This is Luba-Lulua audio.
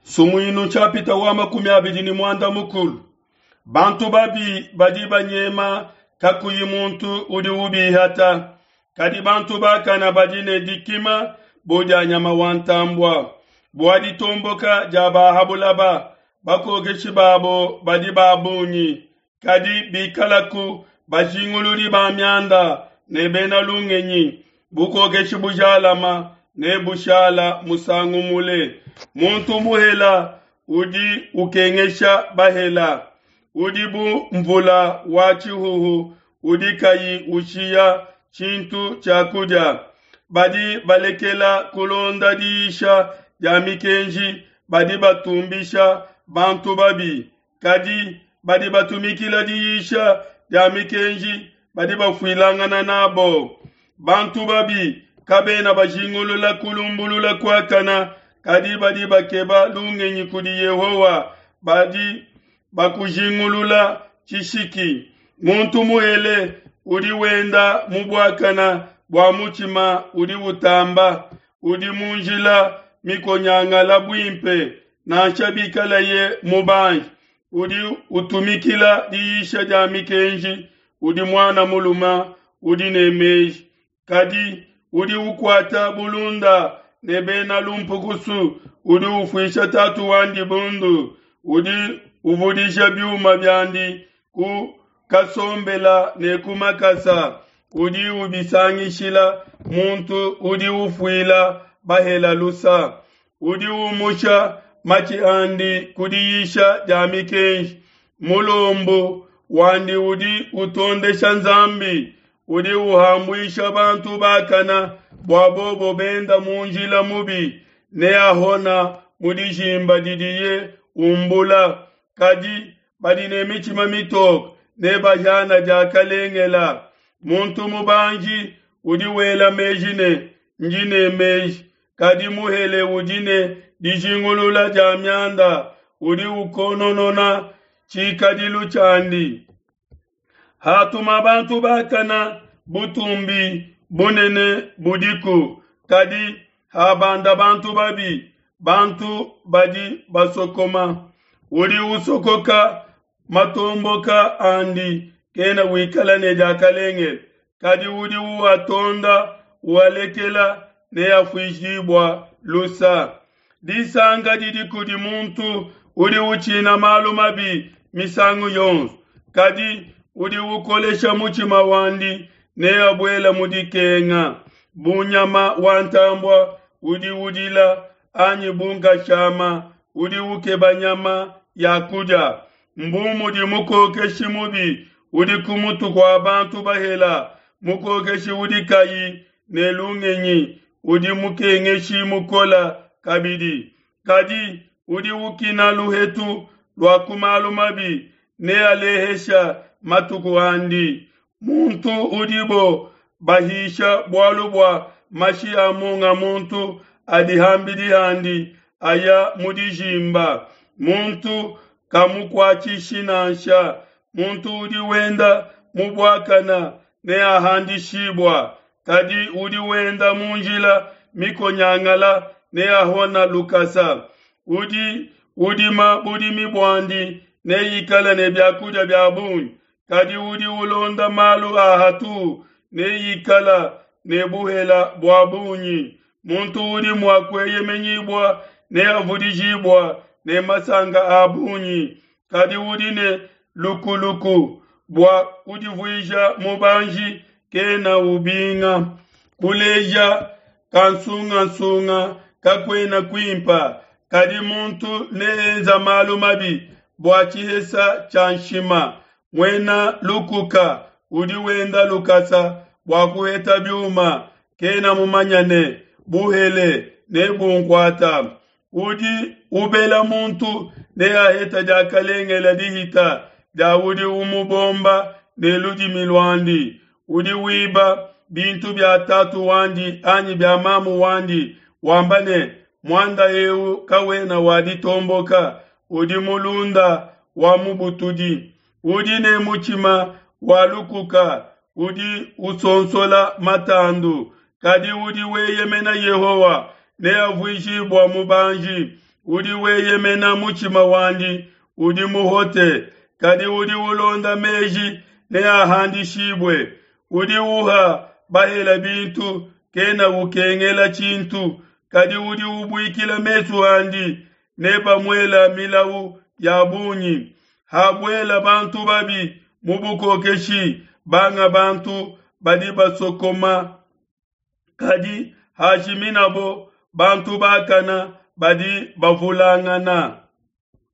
Sumuinu nshapita wa 24. Bantu babi badi banyema kakuyi muntu udi ubihata, kadi bantu bakana badi ne dikima bu dia nyama wa ntambua. Bua ditomboka dia ba ha bulaba, bakokeshi babo badi ba bungi, kadi bikalaku bajinguludi ba mianda ne bena lungenyi, bukokeshi bujalama ne bushala musangu mule. Muntu muhela udi ukengesha bahela, udi bu mvula wa tshihuhu udi kayi ushiya tshintu tshia kudia. Badi balekela kulonda diyisha dia mikenji badi batumbisha bantu babi, kadi badi batumikila diyisha dia mikenji badi bafuilangana nabo. Bantu babi kabena bajingulula kulumbulula kuakana, kadi badi bakeba lungenyi kudi Yehowa badi bakujingulula tshishiki. Muntu muhele udi wenda mu buakana bua mutshima udi utamba, udi mu njila mikonyangala buimpe, nansha bikalaye mubanji. Udi utumikila diyisha dia mikenji udi muana mulume udi ne meji, kadi udi ukuata bulunda ne bena lumpukusu udi ufuisha tatu wandi bundu, udi uvudisha biuma biandi ku kasombela ne ku makasa, udi ubisangishila muntu udi ufuila bahela lusa, udi umusha matshi andi ku diyisha dia mikenji, mulombu wandi udi utondesha Nzambi, udi uhambuisha bantu bakana bua bobo benda mu njila mubi, neahona mu dijimba didiye umbula. Kadi badi ne mitshima mitoke nebahiana diakalengela. Muntu mubanji udi wela meji ne, Ndi ne meji, kadi muhele udi ne dijingulula dia mianda udi ukononona tshikadilu tshiandi. Hatuma bantu bakana butumbi bunene budiku, kadi habanda bantu babi, bantu badi basokoma. Udi usokoka matomboka andi kena wikala ne diakalengele, kadi udi uatonda ualekela neafuishibua lusa. Disanka didi kudi muntu udi utshina malu mabi misangu yonso, kadi udi ukolesha mutshima wandi neabuele mu dikenga. Bu nyama wa ntambua udi udila, anyi bu nkashama udi ukeba nyama ya kudia, mbu mudi mukokeshi mubi udi ku mutu kua bantu bahela, mukokeshi udi kayi ne lungenyi udi mukengeshi mukola kabidi. Kadi udi ukina luhetu lua ku malu mabi nealehesha matuku andi. Muntu udibo bahisha bualu bua mashi a munga muntu adi ham'bidi handi aya mu dijimba, muntu kamukuatshishi nansha. Muntu udi wenda mu buakana neahandishibua, kadi udi wenda mu njila mikonyangala neahona lukasa. Udi udima budimi buandi neikale ne biakudia bia bungi, kadi udi ulonda malu a hatuhu neikala ne buhela bua bungi. Muntu udi mua kueyemenyibua neavudijibua ne masanka a bungi, kadi udi ne lukuluku bua kudivuija mubanji kena ubinga. Kuleja kansungasunga kakuena kuimpa, kadi muntu neenza malu mabi bua tshihesa tshia nshima. Muena lukuka udi wenda lukasa bua kuheta biuma, kena mumanya ne buhele nebunkuata. Udi ubela muntu neaheta diakalengele dihita dia udi umubomba ne ludimi luandi. Udi wiba bintu bia tatu wandi anyi bia mamu wandi, wamba ne, Muanda eu kawena wa ditomboka, udi mulunda wa mubutudi. Udi ne mutshima wa lukuka udi usonsola matandu, kadi udi weyemena Yehowa neavuijibua mubanji. Udi weyemena mutshima wandi udi muhote, kadi udi ulonda meji neahandishibue. Udi uha bahele bintu kena ukengela tshintu, kadi udi ubuikila mesu andi nebamuela milau ya bungi. Habuela bantu babi mu bukokeshi, banga bantu badi basokoma, kadi hajiminabo, bantu bakana badi bavulangana.